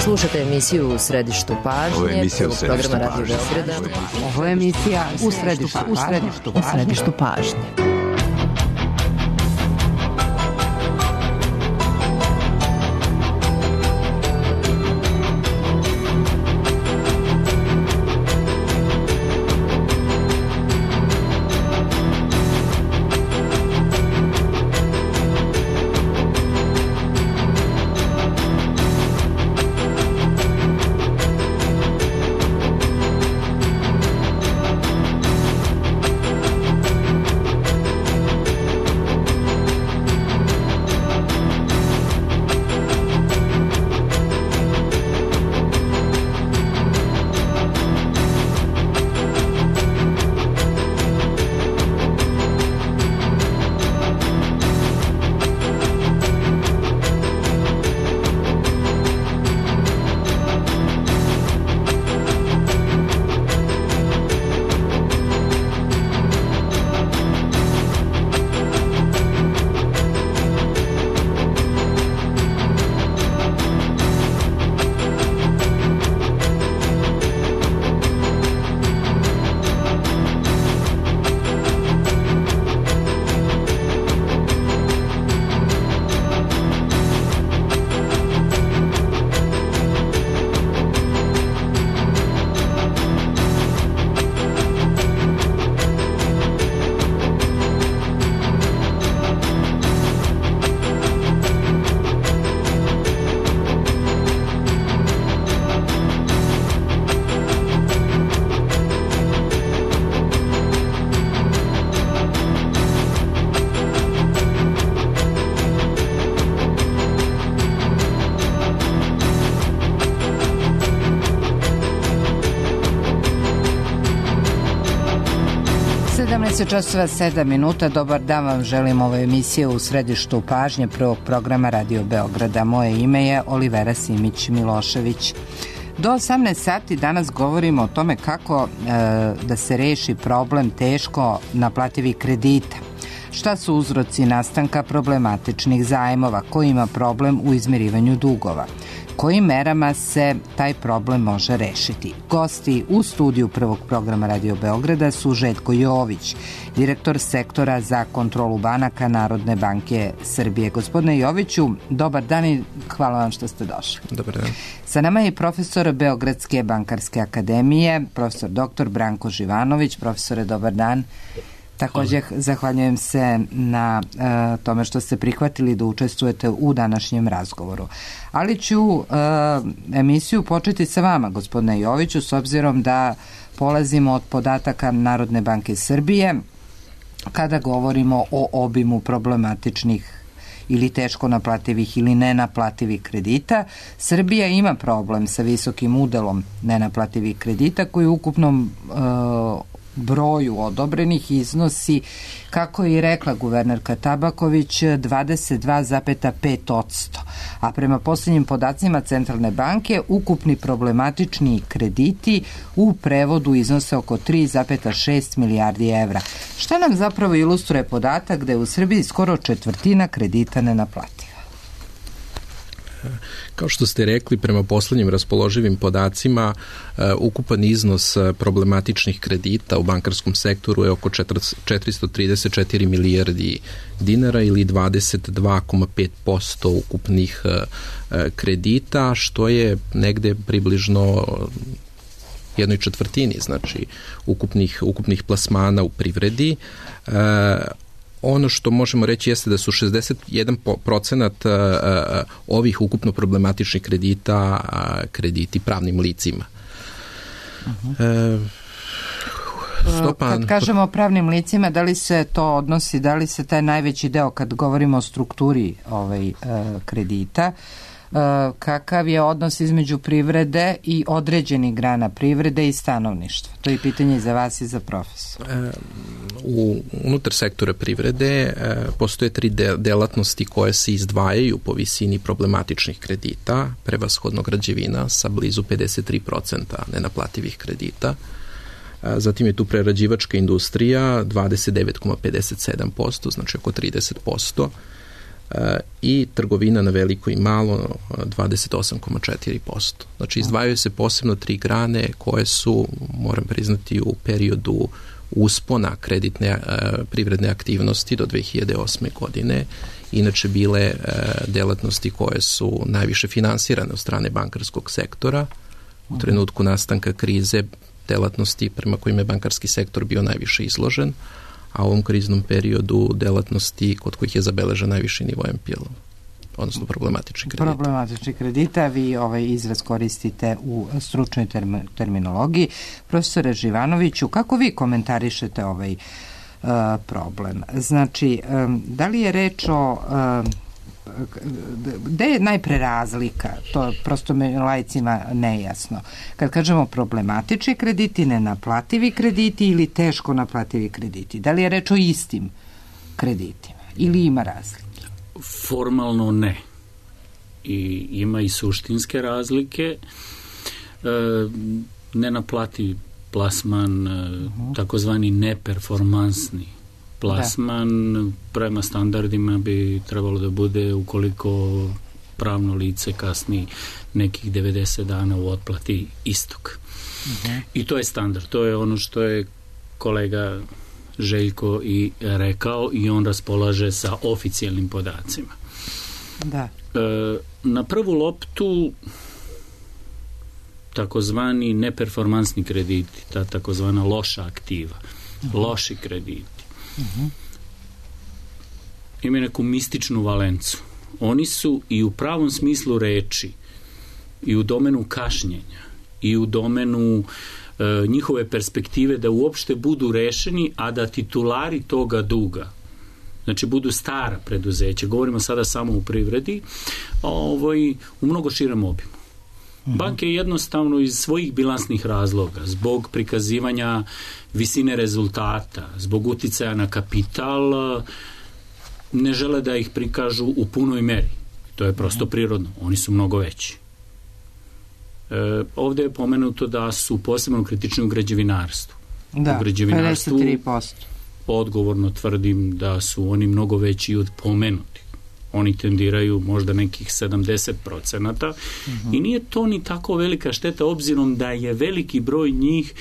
Slušate emisiju U središtu pažnje. Ovo je emisija U središtu programa Radio Beograda. Ovo je emisija U središtu pažnje. Časova 7 minuta. Dobar dan vam želim, ovo je emisija U središtu pažnje prvog programa Radio Beograda. Moje ime je Olivera Simić-Milošević. Do 18 sati danas govorimo o tome kako da se reši problem teško naplativih kredita. Šta su uzroci nastanka problematičnih zajmova, ko ima problem u izmirivanju dugova, kojim merama se taj problem može rešiti. Gosti u studiju prvog programa Radio Beograda su Željko Jović, direktor sektora za kontrolu banaka Narodne banke Srbije. Gospodine Joviću, dobar dan i hvala vam što ste došli. Dobar dan. Sa nama je profesor Beogradske bankarske akademije, profesor dr. Branko Živanović. Profesore, dobar dan. Također zahvaljujem se na tome što ste prihvatili da učestvujete u današnjem razgovoru. Ali ću emisiju početi sa vama, gospodine Joviću, s obzirom da polazimo od podataka Narodne banke Srbije kada govorimo o obimu problematičnih ili teško naplativih ili nenaplativih kredita. Srbija ima problem sa visokim udelom nenaplativih kredita koji u ukupnom broju odobrenih iznosi, kako je i rekla guvernerka Tabaković, 22,5%. A prema posljednjim podacima Centralne banke, ukupni problematični krediti u prevodu iznose oko 3,6 milijardi evra. Šta nam zapravo ilustruje podatak da je u Srbiji skoro četvrtina kredita nenaplativa? Kao što ste rekli, prema poslednjim raspoloživim podacima, ukupan iznos problematičnih kredita u bankarskom sektoru je oko 434 milijardi dinara ili 22,5% ukupnih kredita, što je negde približno jednoj četvrtini, znači ukupnih plasmana u privredi. Ono što možemo reći jeste da su 61% ovih ukupno problematičnih kredita krediti pravnim licima. Kad kažemo pravnim licima, da li se to odnosi, da li se taj najveći deo, kad govorimo o strukturi kredita, kakav je odnos između privrede i određenih grana privrede i stanovništva? To je pitanje i za vas i za profesora. Unutar sektora privrede postoje 3 delatnosti koje se izdvajaju po visini problematičnih kredita, prevashodno građevina sa blizu 53% nenaplativih kredita. Zatim je tu prerađivačka industrija 29,57%, znači oko 30%. i trgovina na veliko i malo 28,4%. Znači izdvajaju se posebno 3 grane koje su, moram priznati, u periodu uspona kreditne privredne aktivnosti do 2008. godine inače bile delatnosti koje su najviše finansirane od strane bankarskog sektora. U trenutku nastanka krize delatnosti prema kojima je bankarski sektor bio najviše izložen, a u ovom kriznom periodu delatnosti kod kojih je zabeležen najviši nivo NPL, odnosno problematični kredita. Problematični kredita, vi ovaj izraz koristite u stručnoj terminologiji. Profesore Živanoviću, kako vi komentarišete ovaj problem? Znači, da li je reč o gde je najpre razlika? To prosto me laicima nejasno. Kad kažemo problematični krediti, nenaplativi krediti ili teško naplativi krediti, da li je reč o istim kreditima ili ima razlike? Formalno ne. I ima i suštinske razlike. Nenaplativi plasman, takozvani neperformansni plasman, prema standardima bi trebalo da bude ukoliko pravno lice kasni nekih 90 dana u otplati istog. I to je standard. To je ono što je kolega Željko i rekao i on raspolaže sa oficijalnim podacima. Da. Na prvu loptu takozvani neperformansni krediti, ta takozvana loša aktiva, loši krediti, imaju neku mističnu valencu. Oni su i u pravom smislu reči i u domenu kašnjenja i u domenu njihove perspektive da uopšte budu rešeni, a da titulari toga duga, znači budu stara preduzeća, govorimo sada samo u privredi, u mnogo širem obimu. Banke jednostavno iz svojih bilansnih razloga, zbog prikazivanja visine rezultata, zbog uticaja na kapital, ne žele da ih prikažu u punoj meri. To je prosto prirodno. Oni su mnogo veći. Ovde je pomenuto da su posebno kritični u građevinarstvu. Da, u građevinarstvu 53%. Odgovorno tvrdim da su oni mnogo veći od pomenutih. Oni tendiraju možda nekih 70%. I nije to ni tako velika šteta, obzirom da je veliki broj njih,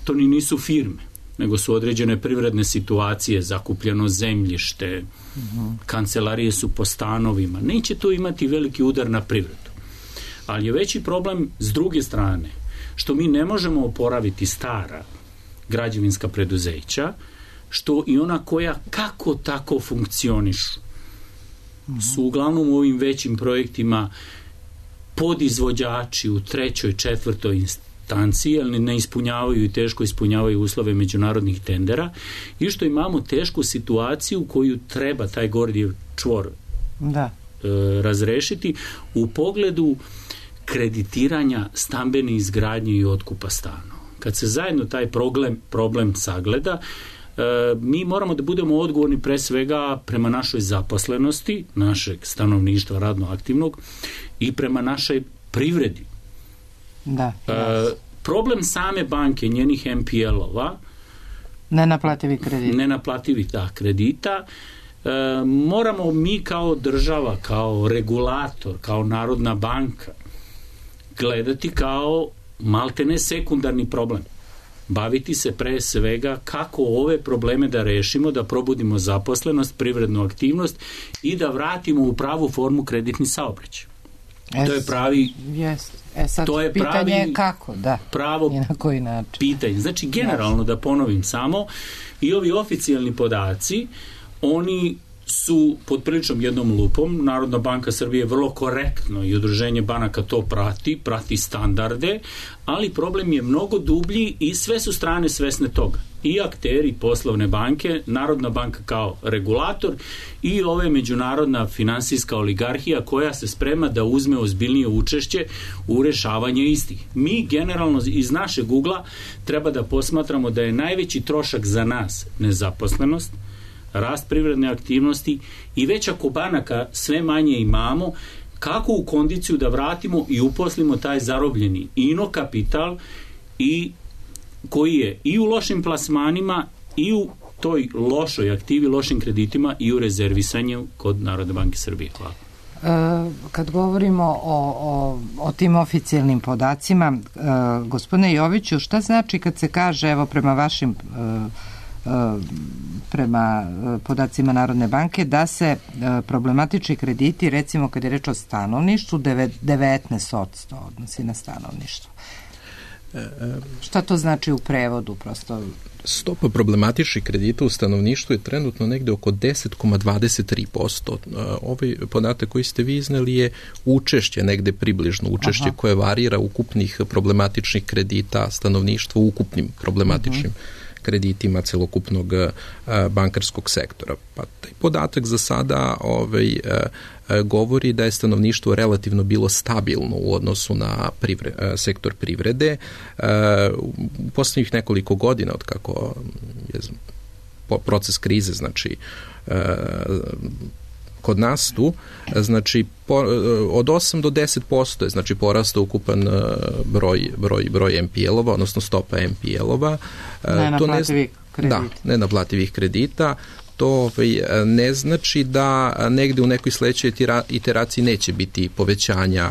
to ni nisu firme, nego su određene privredne situacije, zakupljeno zemljište, kancelarije su po stanovima. Neće to imati veliki udar na privredu. Ali je veći problem s druge strane, što mi ne možemo oporaviti stara građevinska preduzeća, što i ona koja kako tako funkcionišu, su uglavnom u ovim većim projektima podizvođači u 3., 4. instanciji, ali ne ispunjavaju i teško ispunjavaju uslove međunarodnih tendera, i što imamo tešku situaciju koju treba taj Gordijev čvor razrešiti u pogledu kreditiranja stambene izgradnje i otkupa stanova. Kad se zajedno taj problem sagleda, mi moramo da budemo odgovorni pre svega prema našoj zaposlenosti, našeg stanovništva radno aktivnog, i prema našoj privredi. Problem same banke, njenih NPL-ova, nenaplativih kredita, moramo mi kao država, kao regulator, kao Narodna banka gledati kao maltene sekundarni problem. Baviti se pre svega kako ove probleme da rešimo, da probudimo zaposlenost, privrednu aktivnost i da vratimo u pravu formu kreditni saobraćaj. To je pravi... sad to je pitanje je kako, pravo i na koji način. Pitanje. Znači, generalno da ponovim samo, i ovi oficijalni podaci, oni su pod priličnom jednom lupom. Narodna banka Srbije vrlo korektno i udruženje banaka to prati standarde, ali problem je mnogo dublji i sve su strane svesne toga. I akteri poslovne banke, Narodna banka kao regulator i ove međunarodna finansijska oligarhija koja se sprema da uzme ozbiljnije učešće u rešavanje istih. Mi generalno iz našeg ugla treba da posmatramo da je najveći trošak za nas nezaposlenost, rast privredne aktivnosti i već ako banaka sve manje imamo, kako u kondiciju da vratimo i uposlimo taj zarobljeni ino kapital i koji je i u lošim plasmanima i u toj lošoj aktivi, lošim kreditima i u rezervisanju kod Narodne banke Srbije. Hvala. Kad govorimo o tim oficijalnim podacima, gospodine Joviću, šta znači kad se kaže, evo prema vašim prema podacima Narodne banke, da se problematični krediti, recimo kad je reč o stanovništvu, 19% odnosi na stanovništvo. Šta to znači u prevodu? Prosto stopa problematičnih kredita u stanovništvu je trenutno negde oko 10,23%. Ovaj podatak koji ste vi izneli je učešće, negde približno učešće koje varira ukupnih problematičnih kredita stanovništva u ukupnim problematičnim kreditima celokupnog bankarskog sektora. Pa taj podatak za sada govori da je stanovništvo relativno bilo stabilno u odnosu na sektor privrede. U poslednjih nekoliko godina, od kako je proces krize, znači kod nas tu, znači od 8 do 10% je znači porastao ukupan broj NPL-ova, odnosno stopa NPL-ova. Nenaplativih kredita. Da, nenaplativih kredita. To ne znači da negde u nekoj sledećoj iteraciji neće biti povećanja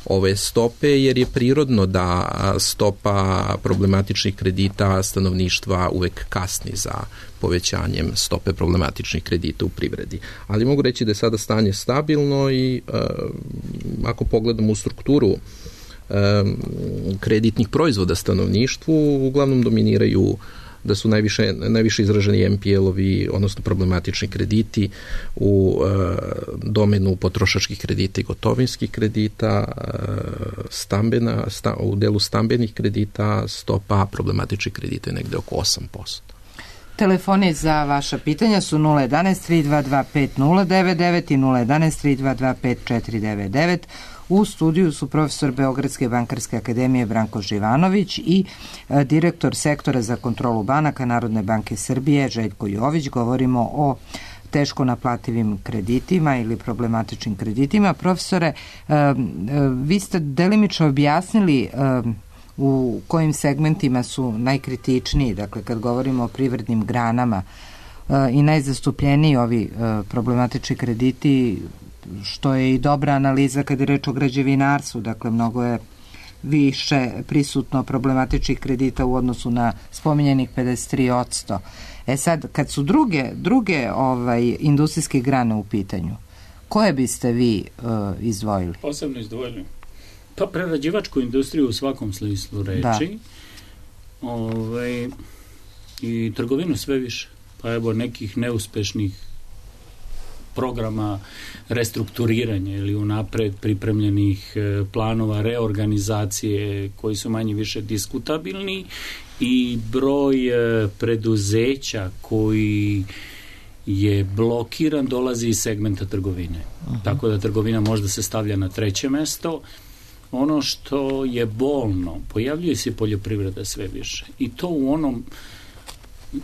ove stope, jer je prirodno da stopa problematičnih kredita stanovništva uvek kasni za povećanjem stope problematičnih kredita u privredi. Ali mogu reći da je sada stanje stabilno i ako pogledamo u strukturu kreditnih proizvoda stanovništvu, uglavnom dominiraju da su najviše izraženi NPL-ovi, odnosno problematični krediti u domenu potrošačkih kredita i gotovinskih kredita, u delu stambenih kredita stopa problematičnih kredita je negde oko 8%. Telefoni za vaša pitanja su 011-322-5099 i 011-322-5499. U studiju su profesor Beogradske bankarske akademije Branko Živanović i direktor sektora za kontrolu banaka Narodne banke Srbije Željko Jović. Govorimo o teško naplativim kreditima ili problematičnim kreditima. Profesore, vi ste delimično objasnili u kojim segmentima su najkritičniji, dakle kad govorimo o privrednim granama i najzastupljeniji ovi problematični krediti, što je i dobra analiza kad je reč o građevinarstvu, dakle mnogo je više prisutno problematičnih kredita u odnosu na spominjenih 53%. Sad, kad su druge industrijske grane u pitanju, koje biste vi izdvojili? Posebno izdvojili? Pa prerađivačku industriju u svakom smislu reči, i trgovinu sve više. Pa evo nekih neuspešnih programa restrukturiranja ili unapred pripremljenih planova reorganizacije koji su manje više diskutabilni i broj preduzeća koji je blokiran dolazi iz segmenta trgovine. Tako da trgovina možda se stavlja na treće mesto. Ono što je bolno, pojavljuje se poljoprivreda sve više. I to u onom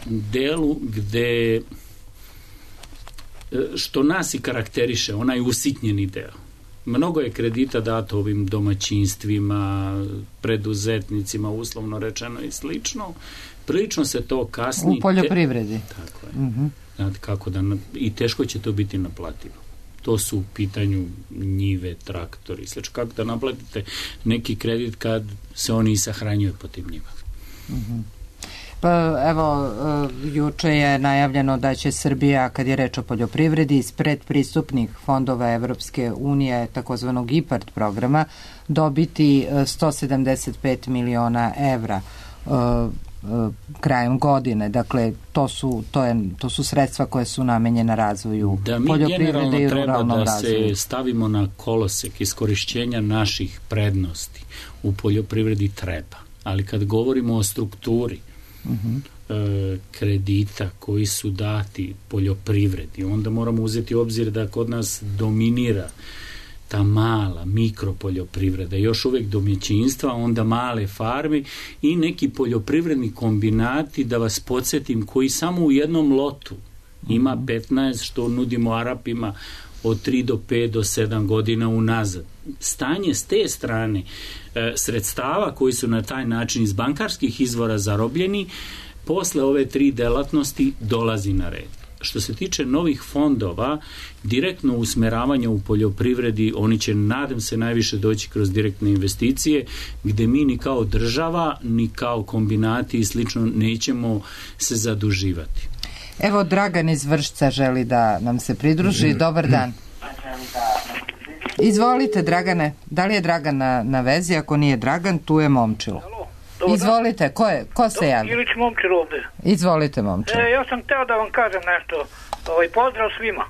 delu gde što nas i karakteriše, onaj usitnjeni deo. Mnogo je kredita dato ovim domaćinstvima, preduzetnicima, uslovno rečeno i slično. Prilično se to kasni. U poljoprivredi. Tako je. Znate kako da, i teško će to biti naplativo. To su u pitanju njive, traktori, slično. Kako da naplatite neki kredit kad se oni i sahranjuju po tim njivama? Pa evo, juče je najavljeno da će Srbija, kad je reč o poljoprivredi, iz predpristupnih fondova Evropske unije, takozvanog IPARD programa, dobiti 175 miliona evra krajem godine. Dakle, to su sredstva koje su namenjena razvoju poljoprivrede i ruralnom razvoju. Da se stavimo na kolosek iskorišćenja naših prednosti u poljoprivredi treba. Ali kad govorimo o strukturi kredita koji su dati poljoprivredi, onda moramo uzeti u obzir da kod nas dominira ta mala mikropoljoprivreda, još uvek domaćinstva, onda male farme i neki poljoprivredni kombinati, da vas podsjetim, koji samo u jednom lotu ima 15, što nudimo Arapima od 3 do 5 do 7 godina unazad. Stanje s te strane sredstava koji su na taj način iz bankarskih izvora zarobljeni posle ove 3 delatnosti dolazi na red. Što se tiče novih fondova, direktno usmeravanje u poljoprivredi, oni će, nadam se, najviše doći kroz direktne investicije, gde mi ni kao država, ni kao kombinati i slično nećemo se zaduživati. Evo, Dragan iz Vršca želi da nam se pridruži. Dobar dan. Izvolite, Dragane. Da li je Dragan na vezi? Ako nije Dragan, tu je Momčilo. Izvolite, ko se javi? Ilić Momčilo ovde. Izvolite, Momčilo. Ja sam teo da vam kažem nešto. Pozdrav svima,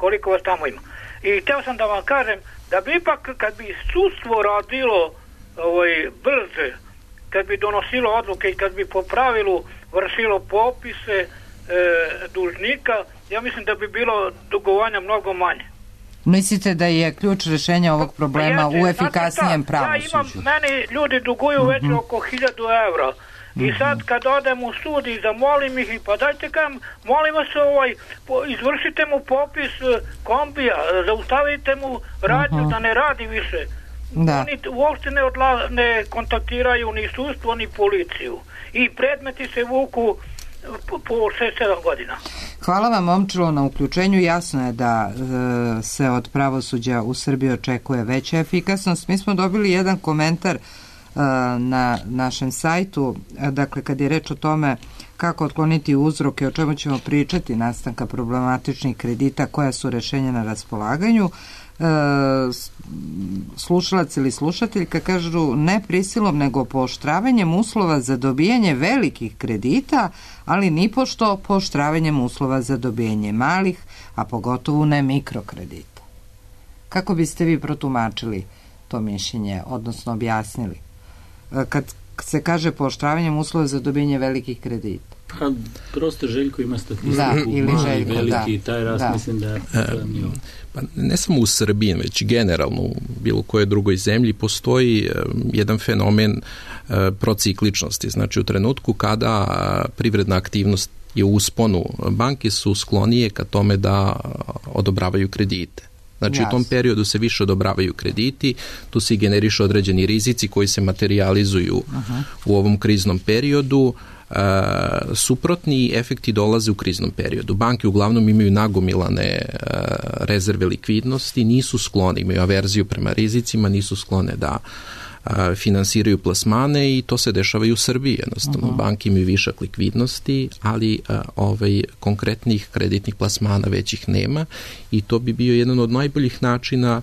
koliko vas tamo ima. I teo sam da vam kažem da bi ipak, kad bi sudstvo radilo brže, kad bi donosilo odluke i kad bi po pravilu vršilo popise dužnika, ja mislim da bi bilo dugovanja mnogo manje. Mislite da je ključ rešenja ovog problema u efikasnijem pravosuđu? Meni ljudi duguju već oko 1000 evra. I sad kad odem u sud i zamolim ih, pa dajte kam, molim vas, izvršite mu popis kombija, zaustavite mu radnju da ne radi više. Oni uopšte ne kontaktiraju ni sudstvo ni policiju. I predmeti se vuku po 6-7 godina. Hvala vam, Momčilo, na uključenju. Jasno je da se od pravosuđa u Srbiji očekuje veća efikasnost. Mi smo dobili jedan komentar na našem sajtu, dakle kad je reč o tome kako otkloniti uzroke, o čemu ćemo pričati, nastanka problematičnih kredita, koja su rešenja na raspolaganju. Slušalac ili slušateljka kažu ne prisilom nego pooštravanjem uslova za dobijanje velikih kredita, ali nipošto pooštravanjem uslova za dobijanje malih, a pogotovo ne mikrokredita. Kako biste vi protumačili to mišljenje, odnosno objasnili? Kad se kaže pooštravanjem uslova za dobijanje velikih kredita? Pa, prosto Željko ima statistiku, ili Željko, veliki, taj rast mislim da je pa ne samo u Srbiji, već generalno u bilo kojoj drugoj zemlji postoji jedan fenomen procikličnosti. Znači u trenutku kada privredna aktivnost je u usponu, banke su sklonije ka tome da odobravaju kredite. Znači u tom periodu se više odobravaju krediti, tu se generišu određeni rizici koji se materializuju u ovom kriznom periodu. Suprotni efekti dolaze u kriznom periodu. Banke uglavnom imaju nagomilane rezerve likvidnosti, nisu sklone, imaju averziju prema rizicima, nisu sklone da finansiraju plasmane i to se dešava i u Srbiji. Jednostavno, banke imaju višak likvidnosti, ali konkretnih kreditnih plasmana većih nema i to bi bio jedan od najboljih načina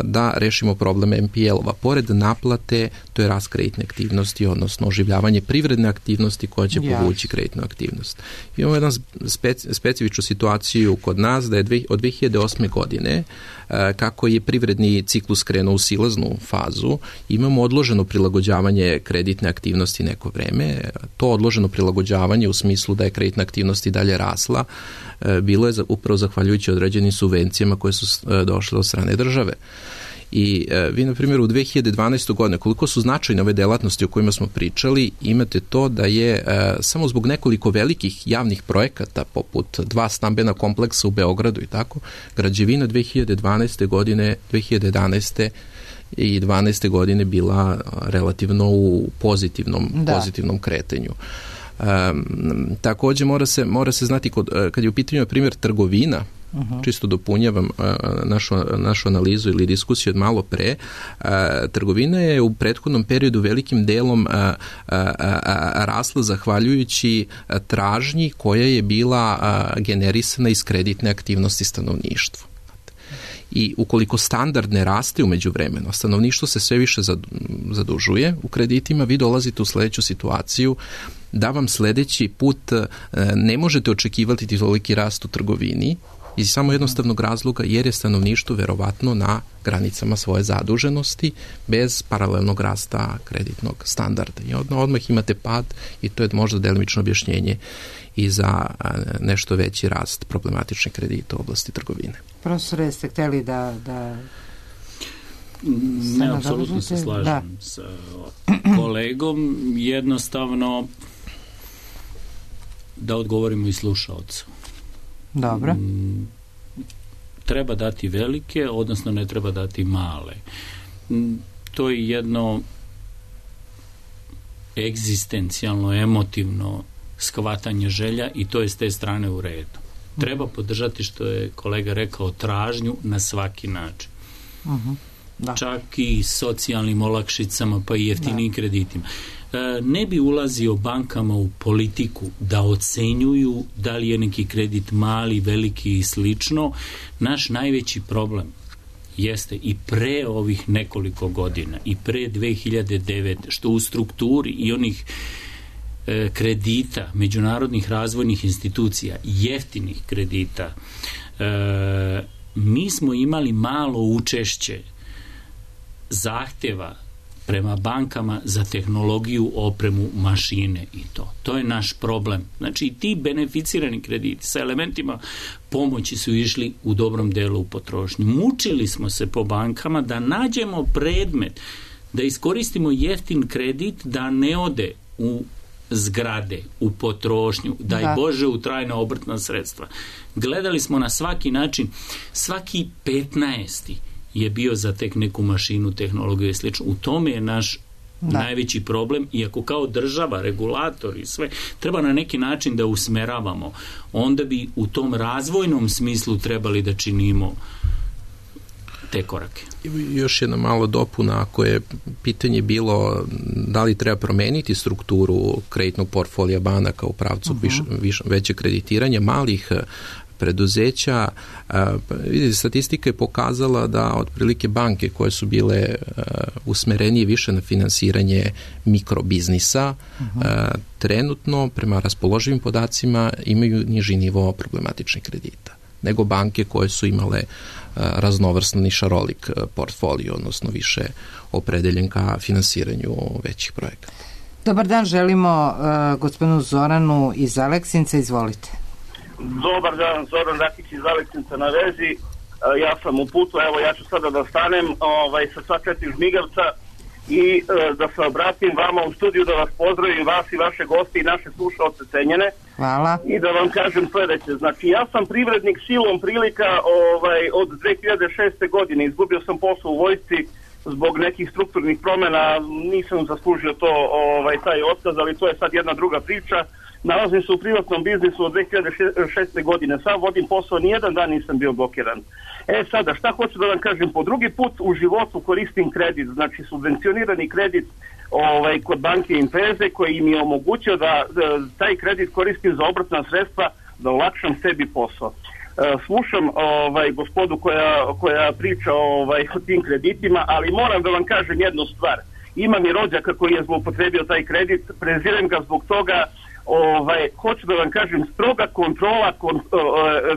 da rešimo problem NPL-ova. Pored naplate, to je rast kreditne aktivnosti, odnosno oživljavanje privredne aktivnosti koja će povući kreditnu aktivnost. Imamo jednu specifičnu situaciju kod nas da je od 2008. godine kako je privredni ciklus krenuo u silaznu fazu, imamo odloženo prilagođavanje kreditne aktivnosti neko vreme. To odloženo prilagođavanje u smislu da je kreditna aktivnost i dalje rasla, bilo je upravo zahvaljujući određenim subvencijama koje su došle od strane države. I vi, na primjer, u 2012. godine, koliko su značajne ove delatnosti o kojima smo pričali, imate to da je samo zbog nekoliko velikih javnih projekata, poput 2 stambena kompleksa u Beogradu i tako, građevina 2012. godine, 2011. i 12. godine bila relativno u pozitivnom kretanju. Takođe mora se znati kad je u pitanju, na primjer, trgovina, čisto dopunjavam našu analizu ili diskusiju od malo pre, trgovina je u prethodnom periodu velikim delom rasla zahvaljujući tražnji koja je bila generisana iz kreditne aktivnosti stanovništva. I ukoliko standard ne raste umeđu vremenu, stanovništvo se sve više zadužuje u kreditima, vi dolazite u sledeću situaciju da vam sledeći put ne možete očekivati toliki rast u trgovini iz samo jednostavnog razloga jer je stanovništvo verovatno na granicama svoje zaduženosti bez paralelnog rasta kreditnog standarda. I odmah imate pad i to je možda delimično objašnjenje i za nešto veći rast problematičnih kredita u oblasti trgovine. Profesore, jeste hteli da ne, apsolutno se slažem sa kolegom. Jednostavno da odgovorimo i slušaocu. Dobro. Treba dati velike, odnosno ne treba dati male. To je jedno egzistencijalno, emotivno shvatanje želja i to je s te strane u redu. Treba podržati, što je kolega rekao, tražnju na svaki način. Da. Čak i socijalnim olakšicama, pa i jeftinim kreditima. Ne bi ulazio bankama u politiku da ocenjuju da li je neki kredit mali, veliki i slično. Naš najveći problem jeste i pre ovih nekoliko godina, i pre 2009, što u strukturi i onih kredita, međunarodnih razvojnih institucija, jeftinih kredita, mi smo imali malo učešće zahtjeva prema bankama za tehnologiju, opremu, mašine i to. To je naš problem. Znači, ti beneficirani krediti sa elementima pomoći su išli u dobrom delu u potrošnju. Mučili smo se po bankama da nađemo predmet, da iskoristimo jeftin kredit, da ne ode u zgrade, u potrošnju, daj Bože u trajna obrtna sredstva. Gledali smo na svaki način, svaki 15. je bio za tek neku mašinu, tehnologiju i slično. U tome je naš najveći problem, iako kao država, regulator i sve, treba na neki način da usmeravamo. Onda bi u tom razvojnom smislu trebali da činimo te korake. Još jedna malo dopuna, ako je pitanje bilo da li treba promeniti strukturu kreditnog portfolija banaka u pravcu veće kreditiranja malih preduzeća. Vidite, statistika je pokazala da otprilike banke koje su bile usmerenije više na finansiranje mikrobiznisa, trenutno prema raspoloživim podacima imaju niži nivo problematičnih kredita nego banke koje su imale raznovrsni šarolik portfolio, odnosno više opredeljen ka finansiranju većih projekata. Dobar dan, želimo gospodinu Zoranu iz Aleksinca, izvolite. Dobar dan, Zoran Rakić iz Aleksinca na vezi. Ja sam u putu, evo ja ću sada da stanem sa sva 4 žmigavca i da se obratim vama u studiju, da vas pozdravim, vas i vaše goste i naše slušaoce cenjene. Hvala. I da vam kažem sledeće. Znači, ja sam privrednik silom prilika od 2006. godine. Izgubio sam posao u vojsci zbog nekih strukturnih promjena. Nisam zaslužio to, taj otkaz, ali to je sad jedna druga priča. Nalazim se u privatnom biznisu od 2006. godine. Sam vodim posao, nijedan dan nisam bio blokiran. Sada, šta hoću da vam kažem? Po drugi put u životu koristim kredit, znači subvencionirani kredit kod banke Impeze, koji mi je omogućio da taj kredit koristim za obrtna sredstva, da olakšam sebi posao. Slušam gospodu koja priča o tim kreditima, ali moram da vam kažem jednu stvar. Imam i rođaka koji je zloupotrebio taj kredit, prezirem ga zbog toga. Hoću da vam kažem, stroga kontrola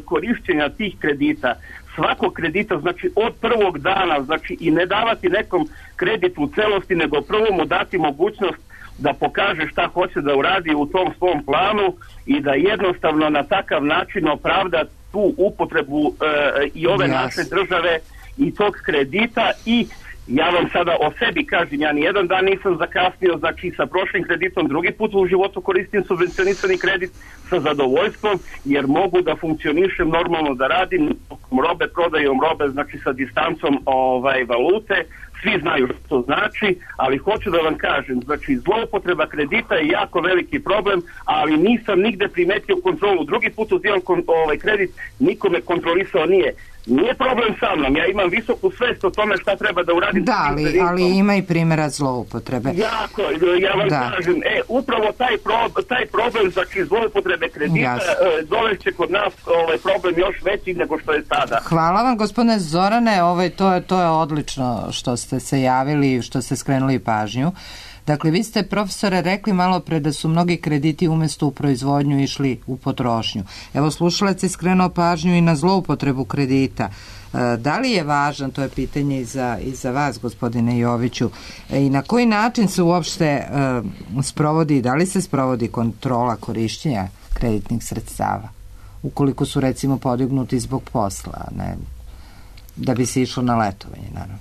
korišćenja tih kredita, svakog kredita, znači od prvog dana, znači i ne davati nekom kredit u celosti, nego prvo mu dati mogućnost da pokaže šta hoće da uradi u tom svom planu i da jednostavno na takav način opravda tu upotrebu i ove naše države i tog kredita. I ja vam sada o sebi kažem, ja nijedan dan nisam zakasnio, znači sa prošlim kreditom drugi put u životu koristim subvencionisani kredit sa zadovoljstvom, jer mogu da funkcionišem normalno, da radim robe, prodajom robe, znači sa distancom valute, svi znaju što to znači, ali hoću da vam kažem, znači zloupotreba kredita je jako veliki problem, ali nisam nigde primetio kontrolu. Drugi put uzimam kredit, nikome kontrolisao nije. Nije problem sa mnom, ja imam visoku svest o tome šta treba da uradim. Da, ali ima i primjera zloupotrebe. Jako, ja vam kažem, upravo taj problem, znači zloupotrebe kredita, dovešće kod nas problem još veći nego što je sada. Hvala vam, gospodine Zorane, to je odlično što ste se javili i što ste skrenuli pažnju. Dakle, vi ste, profesore, rekli malo pre da su mnogi krediti umjesto u proizvodnju išli u potrošnju. Evo, slušalac je skrenuo pažnju i na zloupotrebu kredita. Da li je važan, to je pitanje i za vas, gospodine Joviću, i na koji način se uopšte sprovodi, da li se sprovodi kontrola korišćenja kreditnih sredstava, ukoliko su, recimo, podignuti zbog posla, ne, da bi se išlo na letovanje, naravno?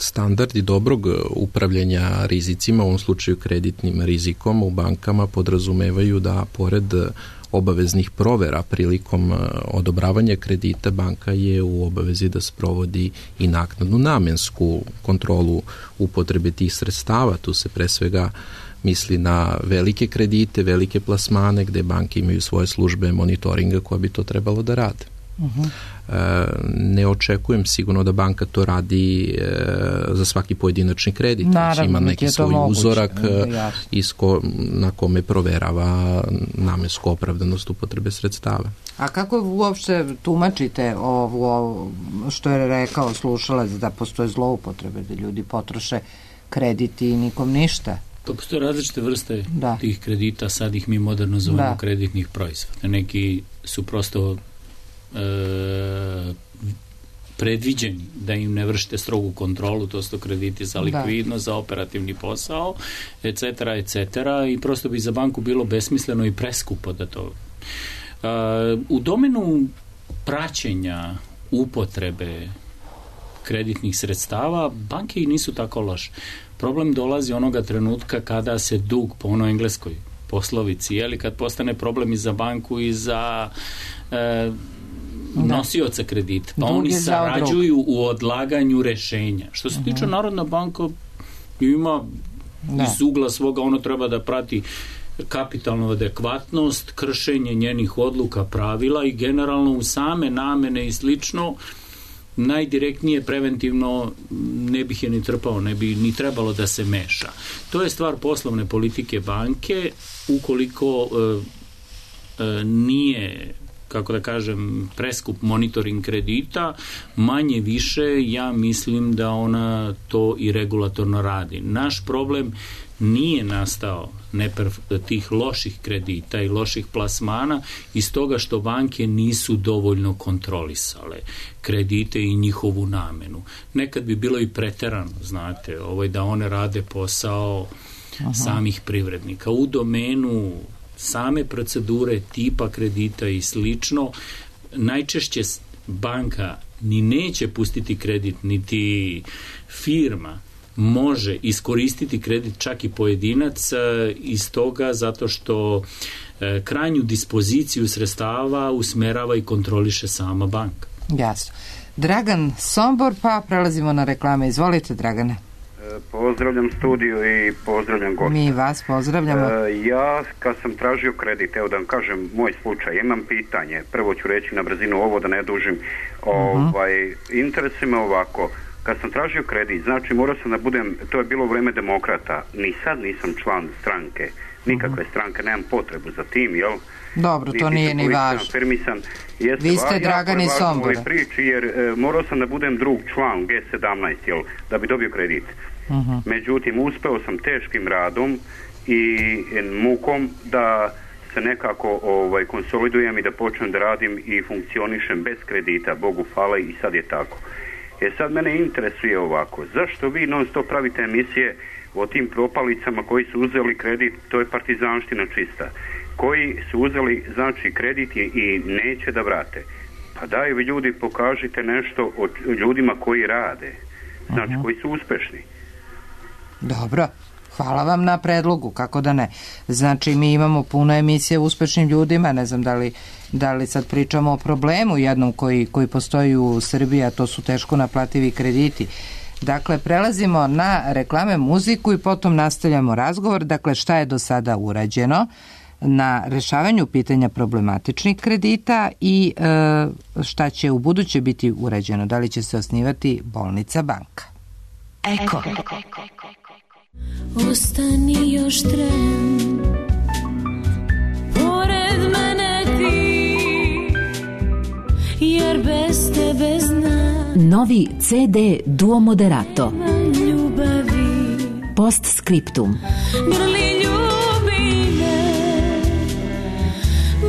Standardi dobrog upravljanja rizicima, u ovom slučaju kreditnim rizikom u bankama, podrazumevaju da pored obaveznih provera prilikom odobravanja kredita, banka je u obavezi da sprovodi i naknadnu namensku kontrolu upotrebe tih sredstava. Tu se pre svega misli na velike kredite, velike plasmane gde banke imaju svoje službe monitoringa koja bi to trebalo da rade. Ne očekujem sigurno da banka to radi za svaki pojedinačni kredit. Naravno, ima neki svoj uzorak na kome proverava namensku opravdanost upotrebe sredstava. A kako uopšte tumačite ovo što je rekao slušalac, da postoje zloupotrebe, da ljudi potroše krediti i nikom ništa? Pa postoje različite vrste tih kredita, sad ih mi moderno zovemo kreditnih proizvoda. Neki su prosto predviđeni da im ne vršite strogu kontrolu, to su krediti za likvidnost, za operativni posao, etc. i prosto bi za banku bilo besmisleno i preskupo da to... U domenu praćenja upotrebe kreditnih sredstava banke i nisu tako loše. Problem dolazi onoga trenutka kada se dug, po onoj engleskoj poslovici, kad postane problem i za banku i za nosioca kredita. Pa oni sarađuju u odlaganju rešenja. Što se tiče Narodna banka, ima iz ugla svoga, ono treba da prati kapitalnu adekvatnost, kršenje njenih odluka, pravila i generalno u same namene i slično, najdirektnije preventivno ne bih je ni trpao, ne bi ni trebalo da se meša. To je stvar poslovne politike banke, ukoliko nije, kako da kažem, preskup monitoring kredita, manje više ja mislim da ona to i regulatorno radi. Naš problem nije nastao tih loših kredita i loših plasmana iz toga što banke nisu dovoljno kontrolisale kredite i njihovu namenu. Nekad bi bilo i preterano, znate, da one rade posao samih privrednika. U domenu same procedure, tipa kredita i slično, najčešće banka ni neće pustiti kredit, niti firma može iskoristiti kredit, čak i pojedinac, iz toga zato što krajnju dispoziciju sredstava usmerava i kontroliše sama banka. Jasno. Dragan Sombor, pa prelazimo na reklame. Izvolite, Dragane. Pozdravljam studiju i pozdravljam gosta. Mi vas pozdravljamo. Ja kad sam tražio kredit, evo da vam kažem moj slučaj, imam pitanje, prvo ću reći na brzinu ovo da ne dužim, interesuje me ovako, kad sam tražio kredit, znači morao sam da budem, to je bilo vreme demokrata, ni sad nisam član stranke, nikakve stranke, nemam potrebu za tim, jel? Dobro, to nije ni važno. Vi ste Dragani Sombora. Jer morao sam da budem drug član G17, jel, da bi dobio kredit. Međutim, uspeo sam teškim radom i mukom da se nekako konsolidujem i da počnem da radim i funkcionišem bez kredita, Bogu hvala, i sad je tako. Sad mene interesuje ovako, zašto vi non stop pravite emisije o tim propalicama koji su uzeli kredit, to je partizanština čista, koji su uzeli, znači, kredit i neće da vrate. Pa daj vi ljudi pokažite nešto o ljudima koji rade, znači koji su uspešni. Dobro, hvala vam na predlogu, kako da ne. Znači, mi imamo puno emisije o uspešnim ljudima, ne znam da li sad pričamo o problemu jednom koji postoji u Srbiji, a to su teško naplativi krediti. Dakle, prelazimo na reklame, muziku i potom nastavljamo razgovor. Dakle, šta je do sada urađeno na rešavanju pitanja problematičnih kredita i šta će u buduće biti urađeno? Da li će se osnivati bolnica banka? Eko. Ostani još tren, pored mene ti, jer bez tebe znam. Novi CD Duo Moderato. Postscriptum. Grli ljubi me,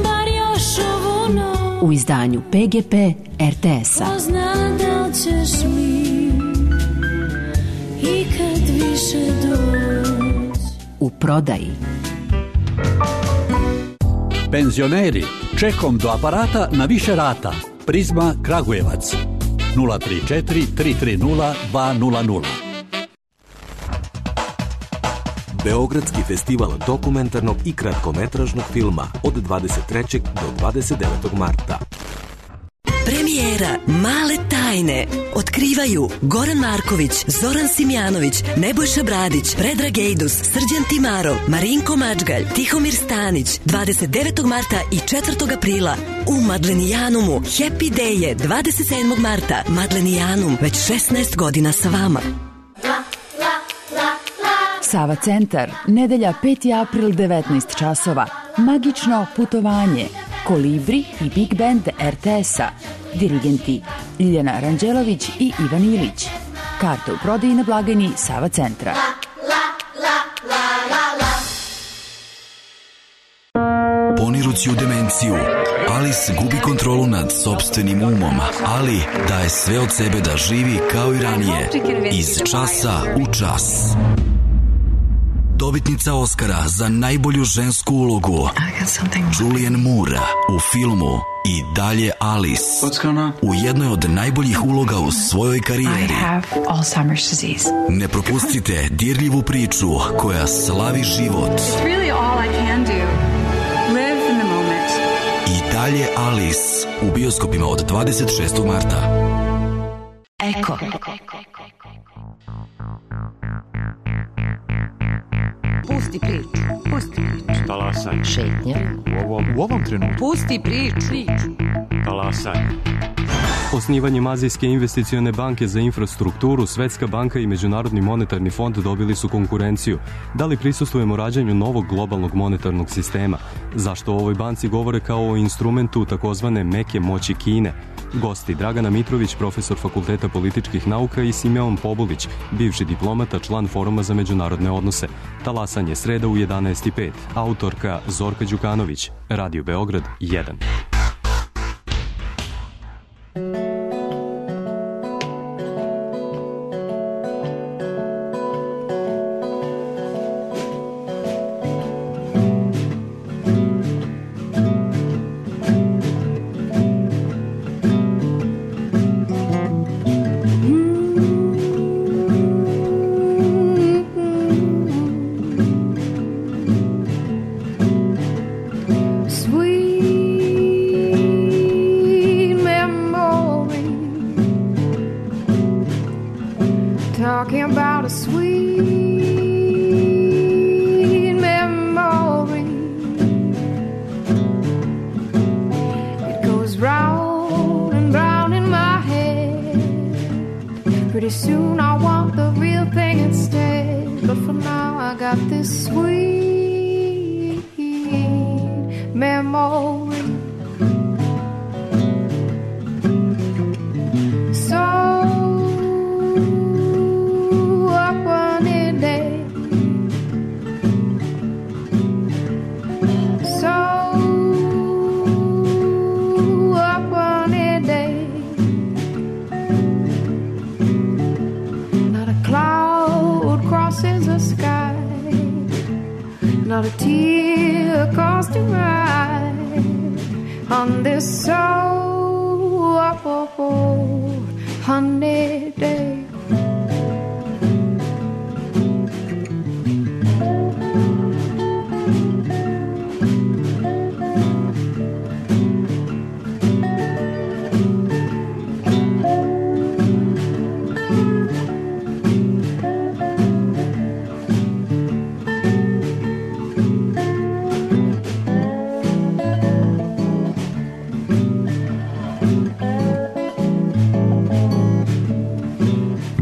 bar još ovu noć. U izdanju PGP RTS-a. Pozna da li ćeš mi ikad više doći. U prodaji. Penzioneri, čekom do aparata na više rata. Prizma Kragujevac 034 330 200. Beogradski festival dokumentarnog i kratkometražnog filma od 23. do 29. marta. Premijera Male tajne otkrivaju Goran Marković, Zoran Simjanović, Nebojša Bradić, Predrag Ejdus, Srđan Timarov, Marinko Mačgalj, Tihomir Stanić, 29. marta i 4. aprila u Madlenijanumu. Happy Day je 27. marta. Madlenijanum, već 16 godina sa vama. Sava centar, nedelja 5. april 19 časova. Magično putovanje. Kolibri i Big Band RTS-a. Dirigenti Ljiljana Ranđelović i Ivan Ilić. Karte u prodaji na blagajni Sava centra. Ponirući u demenciju, Alice gubi kontrolu nad sopstvenim umom, ali daje sve od sebe da živi kao i ranije, iz časa u čas. Dobitnica Oscara za najbolju žensku ulogu Julianne Moore u filmu I dalje Alice, u jednoj od najboljih uloga u svojoj karijeri. Ne propustite dirljivu priču koja slavi život. I dalje Alice u bioskopima od 26. marta. Eko. Pusti priču. Talasaj. Šetnja. U ovom trenutku. Pusti priču. Talasaj. Osnivanjem Azijske investicione banke za infrastrukturu, Svetska banka i Međunarodni monetarni fond dobili su konkurenciju. Da li prisustvujemo rađanju novog globalnog monetarnog sistema? Zašto o ovoj banci govore kao o instrumentu takozvane meke moći Kine? Gosti Dragana Mitrović, profesor Fakulteta političkih nauka, i Simeon Pobulić, bivši diplomata, član Foruma za međunarodne odnose. Talasanje sreda u 11:05. Autorka Zorka Đukanović. Radio Beograd 1. Talking about a sweet memory. It goes round and round in my head. Pretty soon I want the real thing instead. But for now I got this sweet memory. Not a tear caused to ride on this so honey day.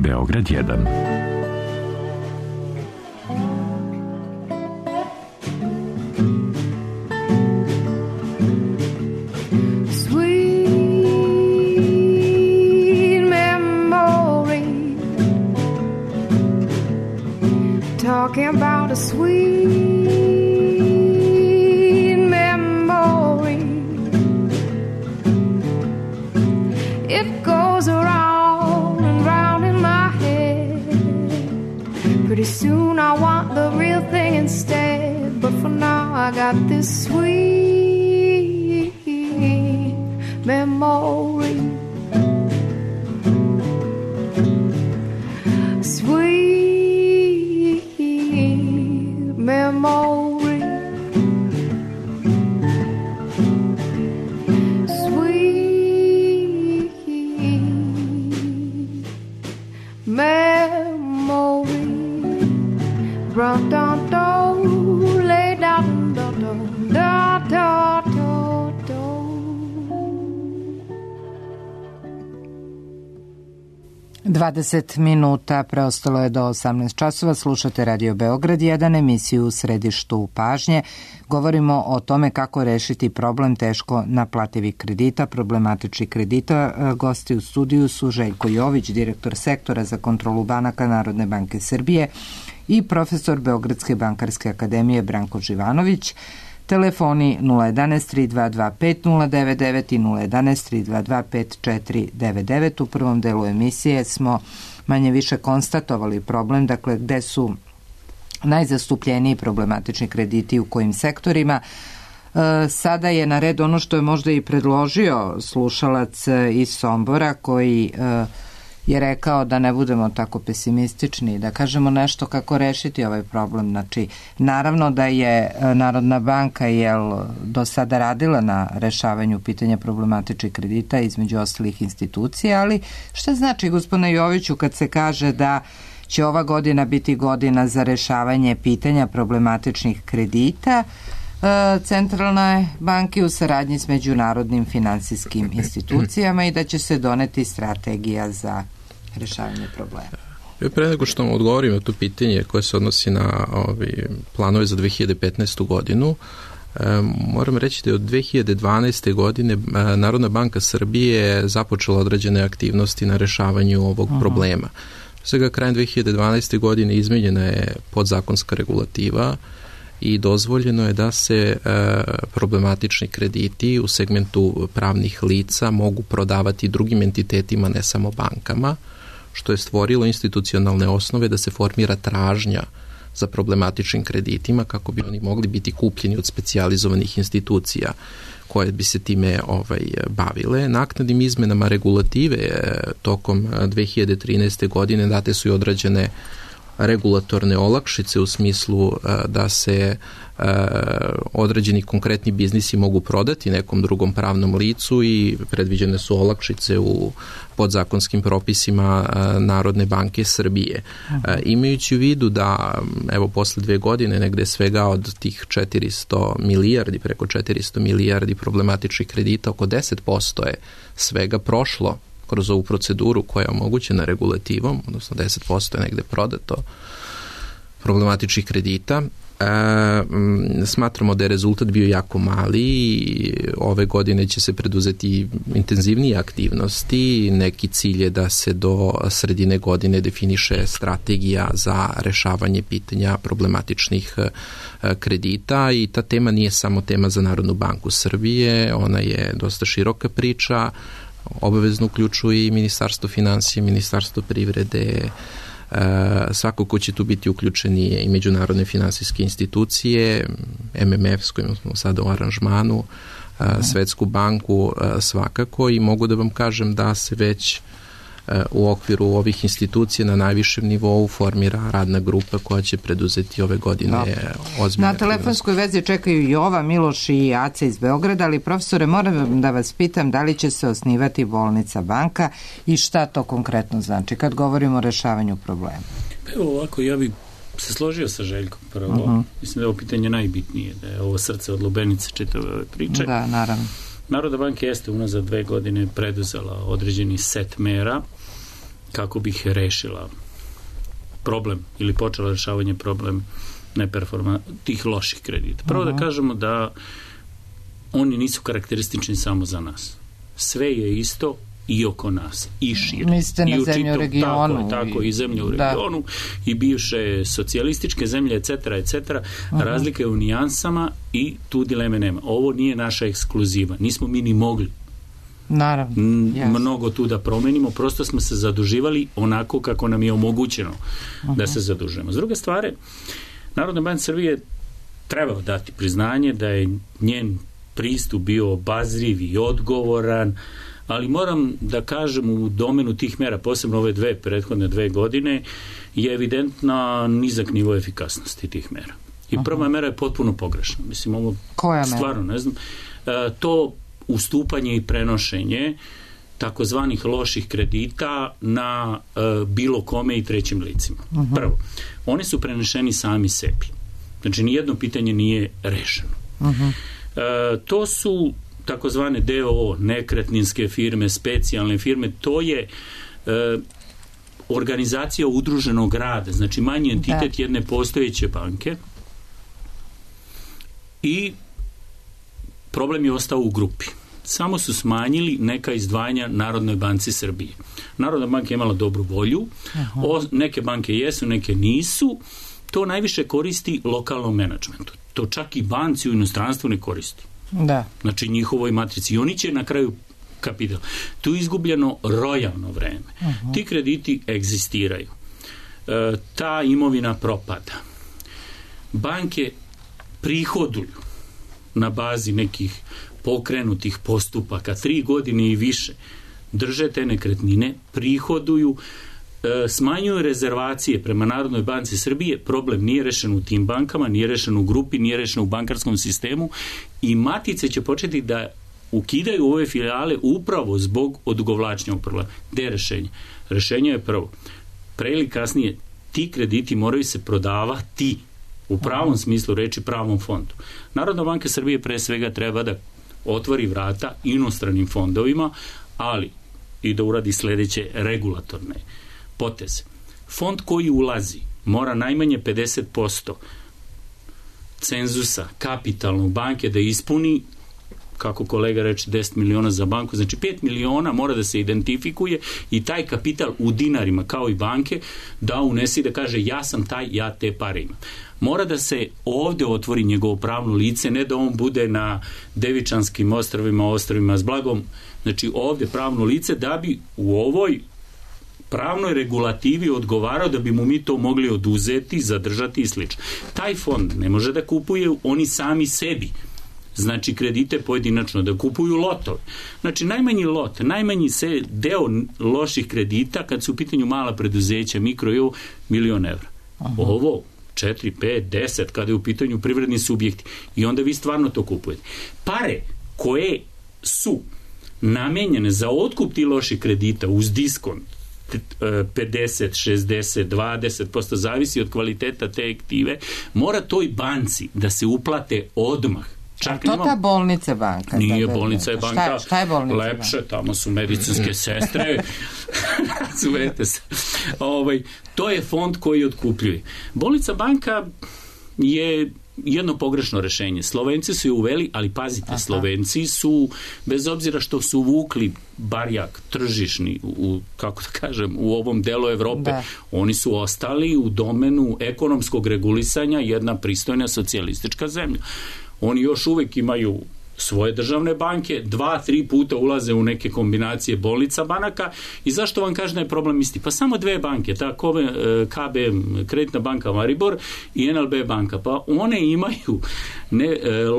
Beograd 1. Talking about a sweet memory. It goes around and round in my head. Pretty soon I want the real thing instead. But for now I got this sweet memory. Sweet 20 minuta preostalo je do 18 časova. Slušate Radio Beograd 1, emisiju u središtu pažnje. Govorimo o tome kako rešiti problem teško naplativih kredita, problematičnih kredita. Gosti u studiju su Željko Jović, direktor sektora za kontrolu banaka Narodne banke Srbije, i profesor Beogradske bankarske akademije Branko Živanović. Telefoni 011 3225 099 i 011 3225 499. U prvom delu emisije smo manje više konstatovali problem, dakle gde su najzastupljeniji problematični krediti u kojim sektorima. Sada je na red ono što je možda i predložio slušalac iz Sombora, koji je rekao da ne budemo tako pesimistični, da kažemo nešto kako rešiti ovaj problem. Znači, naravno da je Narodna banka do sada radila na rešavanju pitanja problematičnih kredita između ostalih institucija, ali šta znači, gospodine Joviću, kad se kaže da će ova godina biti godina za rešavanje pitanja problematičnih kredita centralne banke u saradnji s međunarodnim finansijskim institucijama i da će se doneti strategija za rešavanje problema? Pre nego što vam odgovorim na to pitanje koje se odnosi na planove za 2015. godinu, moram reći da je od 2012. godine Narodna banka Srbije započela određene aktivnosti na rešavanju ovog problema. Svega krajem 2012. godine izmenjena je podzakonska regulativa i dozvoljeno je da se problematični krediti u segmentu pravnih lica mogu prodavati drugim entitetima, ne samo bankama, što je stvorilo institucionalne osnove da se formira tražnja za problematičnim kreditima kako bi oni mogli biti kupljeni od specijalizovanih institucija koje bi se time bavile. Naknadnim izmenama regulative tokom 2013. godine date su i određene regulatorne olakšice u smislu da se određeni konkretni biznisi mogu prodati nekom drugom pravnom licu i predviđene su olakšice u podzakonskim propisima Narodne banke Srbije. Imajući u vidu da evo posle 2 godine negde svega od tih 400 milijardi, preko 400 milijardi problematičnih kredita, oko 10% je svega prošlo kroz ovu proceduru koja je omogućena regulativom, odnosno 10% je negde prodato problematičnih kredita. Smatramo da je rezultat bio jako mali i ove godine će se preduzeti intenzivnije aktivnosti. Neki cilj je da se do sredine godine definiše strategija za rešavanje pitanja problematičnih kredita i ta tema nije samo tema za Narodnu banku Srbije, ona je dosta široka priča, obavezno uključuje i Ministarstvo finansije, Ministarstvo privrede, svako ko će tu biti uključeni i međunarodne finansijske institucije, MMF s kojim smo sada u aranžmanu, Svetsku banku svakako, i mogu da vam kažem da se već u okviru ovih institucija na najvišem nivou formira radna grupa koja će preduzeti ove godine ozbiljne. Na telefonskoj vezi čekaju Jova, Miloš i Aca iz Beograda, ali profesore, moram da vas pitam da li će se osnivati bolnica banka i šta to konkretno znači kad govorimo o rešavanju problema? Evo ovako, ja bih se složio sa Željkom prvo. Mislim da je ovo pitanje najbitnije, da je ovo srce od lubenice čitave ove priče. Da, naravno. Narodna banka jeste unazad 2 godine preduzela određeni set mera kako bi rešila problem ili počela rešavanje problem tih loših kredita. Prvo da kažemo da oni nisu karakteristični samo za nas. Sve je isto i oko nas, i šire. Mislite na zemlju u regionu. Tako, i zemlje u regionu, i bivše socijalističke zemlje, etc., etc. Razlika je u nijansama i tu dileme nema. Ovo nije naša ekskluziva. Nismo mi ni mogli mnogo tu da promenimo, prosto smo se zaduživali onako kako nam je omogućeno da se zadužujemo. S druge stvari, Narodna banka Srbije treba dati priznanje da je njen pristup bio obazriv i odgovoran, ali moram da kažem u domenu tih mera, posebno ove prethodne 2 godine, je evidentna nizak nivo efikasnosti tih mera. I prva mera je potpuno pogrešna. Mislim, ovo stvarno ne znam. To ustupanje i prenošenje takozvanih loših kredita na bilo kome i trećim licima. Prvo, oni su prenešeni sami sebi. Znači, nijedno pitanje nije rešeno. To su takozvane DOO, nekretninske firme, specijalne firme, to je organizacija udruženog rada, znači manji entitet jedne postojeće banke, i problem je ostao u grupi. Samo su smanjili neka izdvajanja Narodnoj banci Srbije. Narodna banka je imala dobru volju, neke banke jesu, neke nisu, to najviše koristi lokalnom menadžmentu. To čak i banci u inostranstvu ne koristi. Da. Znači njihovoj matrici. I oni će na kraju kapital. Tu je izgubljeno rojalno vreme. Ti krediti egzistiraju. Ta imovina propada. Banke prihoduju na bazi nekih pokrenutih postupaka 3 godine i više, drže te nekretnine, prihoduju, smanjuju rezervacije prema Narodnoj banci Srbije. Problem nije rešen u tim bankama, nije rešen u grupi, nije rešen u bankarskom sistemu i matice će početi da ukidaju ove filijale upravo zbog odugovlačenja problema. Gde je rešenje? Rešenje je prvo. Pre ili kasnije ti krediti moraju se prodavati u pravom smislu reči, pravom fondu. Narodna banka Srbije pre svega treba da otvori vrata inostranim fondovima, ali i da uradi sledeće regulatorne poteze. Fond koji ulazi mora najmanje 50% cenzusa kapitalnog banke da ispuni, kako kolega reče, 10 miliona za banku, znači 5 miliona mora da se identifikuje i taj kapital u dinarima, kao i banke, da unese i da kaže ja sam taj, ja te pare imam. Mora da se ovde otvori njegovo pravno lice, ne da on bude na Devičanskim ostrvima s blagom, znači ovde pravno lice da bi u ovoj pravnoj regulativi odgovarao da bi mu mi to mogli oduzeti, zadržati i slično. Taj fond ne može da kupuje oni sami sebi, znači kredite pojedinačno, da kupuju lotove. Znači najmanji lot, najmanji se deo loših kredita kad su u pitanju mala preduzeća, mikro i ovo, 1.000.000 evra. Ovo 4, 5, 10 kada je u pitanju privredni subjekti i onda vi stvarno to kupujete. Pare koje su namenjene za otkup ti loših kredita uz diskont 50, 60, 20%, zavisi od kvaliteta te aktive, mora toj banci da se uplate odmah. Čak to ta bolnica banka? Nije, bolnica je banka. Šta je bolnica lepše, banka? Tamo su medicinske sestre. Razumete se. To je fond koji otkupljuje. Bolnica banka je jedno pogrešno rešenje. Slovenci su je uveli, ali pazite, Slovenci su, bez obzira što su vukli barjak tržišni, kako da kažem, u ovom delu Evrope, oni su ostali u domenu ekonomskog regulisanja jedna pristojna socijalistička zemlja. Oni još uvek imaju svoje državne banke, 2-3 puta ulaze u neke kombinacije bolnica banaka i zašto vam kažem da je problem isti? Pa samo 2 banke, ta KB, Kreditna banka Maribor i NLB banka, pa one imaju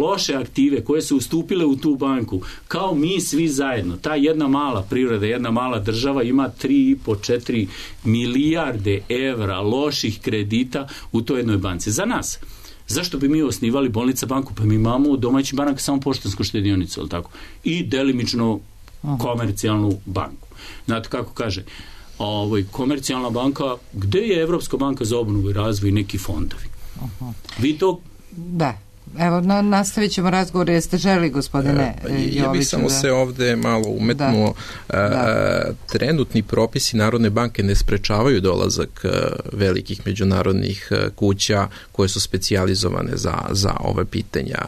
loše aktive koje su ustupile u tu banku, kao mi svi zajedno. Ta jedna mala privreda, jedna mala država ima 3,5-4 milijarde evra loših kredita u toj jednoj banci. Za nas. Zašto bi mi osnivali bolnica banku? Pa mi imamo domaći banak samo poštansku štedionicu, ali tako? I delimično komercijalnu banku. Znate kako kaže, komercijalna banka, gde je Evropska banka za obnovu i razvoj i neki fondovi? Vi to... Da. Evo, nastavit ćemo razgovor. Jeste želi, gospodine Joviću? Ja bih samo se ovde malo umetnuo. Trenutni propisi Narodne banke ne sprečavaju dolazak velikih međunarodnih kuća koje su specijalizovane za ove pitanja.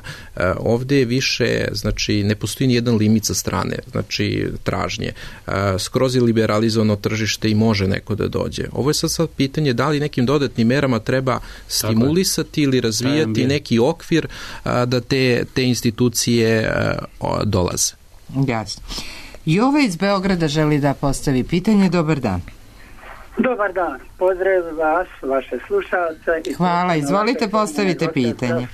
Ovde je više, znači, ne postoji ni jedan limit sa strane, znači, tražnje. Skroz je liberalizovano tržište i može neko da dođe. Ovo je sad pitanje da li nekim dodatnim merama treba stimulisati ili razvijati neki okvir da te institucije dolaze. Jasno. Jova iz Beograda želi da postavi pitanje. Dobar dan. Dobar dan. Pozdrav vas, vaše slušalce. Hvala. Izvolite, postavite pitanje.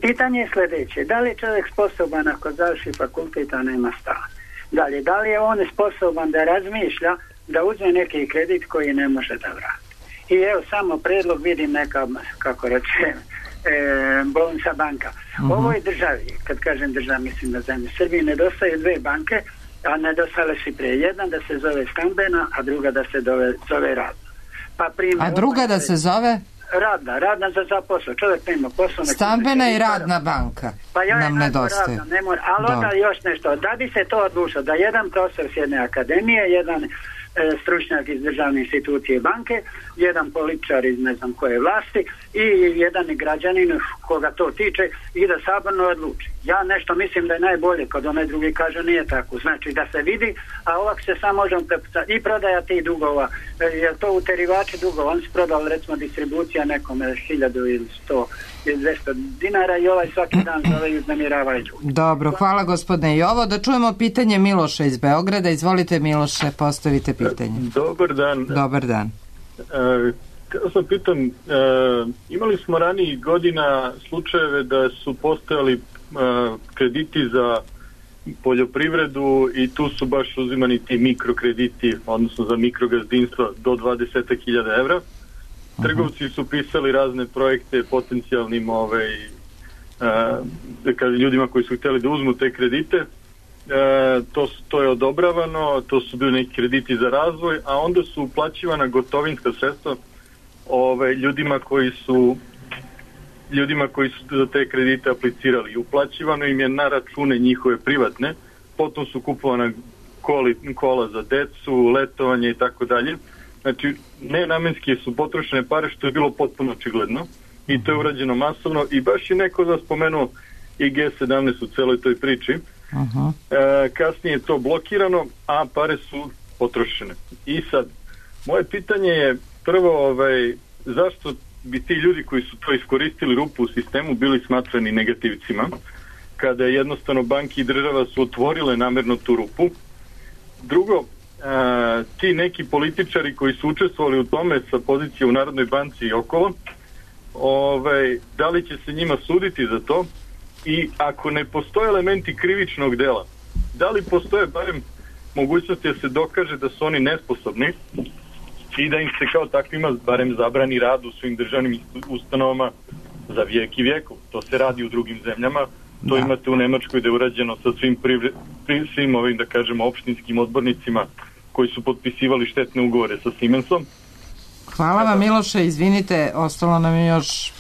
Pitanje je sledeće. Da li je čovjek sposoban ako završi fakultet, a nema stan? Dalje, da li je on sposoban da razmišlja da uzme neki kredit koji ne može da vrati? I evo, samo predlog, vidim neka, kako rečem, bolnica banka. U ovoj državi, kad kažem država, mislim na zemlji Srbiji, nedostaju 2 banke, a nedostale su prije. Jedna da se zove stambena, a druga da se zove radna. A druga da se zove? Radna za zaposlo. Čovjek nema posao. Stambena i radna banka nam nedostaju. Ali onda još nešto. Da bi se to odlučilo, da jedan profesor s jedne akademije, jedan stručnjak iz državne institucije banke, jedan političar iz ne znam koje vlasti i jedan građanin koga to tiče i da saborno odluči. Ja nešto mislim da je najbolje kad onaj drugi kaže nije tako. Znači da se vidi, a ovak se samo možemo prepucati i prodaja tih dugova. Je to uterivači dugova? On se prodao recimo distribucija nekome 1000 ili 100 ili 200 dinara i ovaj svaki dan zove i uznemiravaju ljudi. Dobro, hvala gospodine Jovo. Da čujemo pitanje Miloša iz Beograda. Izvolite Miloše, postavite pitanje. Dobar dan. Dobar dan. Kada sam pitan, imali smo ranijih godina slučajeve da su postojali krediti za poljoprivredu i tu su baš uzimani ti mikrokrediti, odnosno za mikrogazdinstva do 20.000 evra. Trgovci su pisali razne projekte potencijalnim ljudima koji su htjeli da uzmu te kredite. To je odobravano, to su bili neki krediti za razvoj, a onda su uplaćivana gotovinska sredstva ljudima koji su za te kredite aplicirali. Uplaćivano im je na račune njihove privatne, potom su kupovana kola za decu, letovanje i tako dalje. Znači, nenamenski su potrošene pare, što je bilo potpuno očigledno i to je urađeno masovno i baš je neko da spomenuo i G17 u celoj toj priči. Kasnije je to blokirano, a pare su potrošene. I sad, moje pitanje je prvo, zašto bi ti ljudi koji su to iskoristili rupu u sistemu bili smatrani negativcima, kada jednostavno banki i država su otvorile namerno tu rupu. Drugo, ti neki političari koji su učestvovali u tome sa pozicije u Narodnoj banci i okolo, da li će se njima suditi za to i ako ne postoje elementi krivičnog dela, da li postoje barem mogućnosti da se dokaže da su oni nesposobni i da im se kao takvima barem zabrani rad u svim državnim ustanovama za vijek i vijekov. To se radi u drugim zemljama. To imate u Nemačkoj da je urađeno sa svim ovim, da kažemo, opštinskim odbornicima koji su potpisivali štetne ugovore sa Siemensom. Hvala vam Miloše, izvinite, ostalo nam je još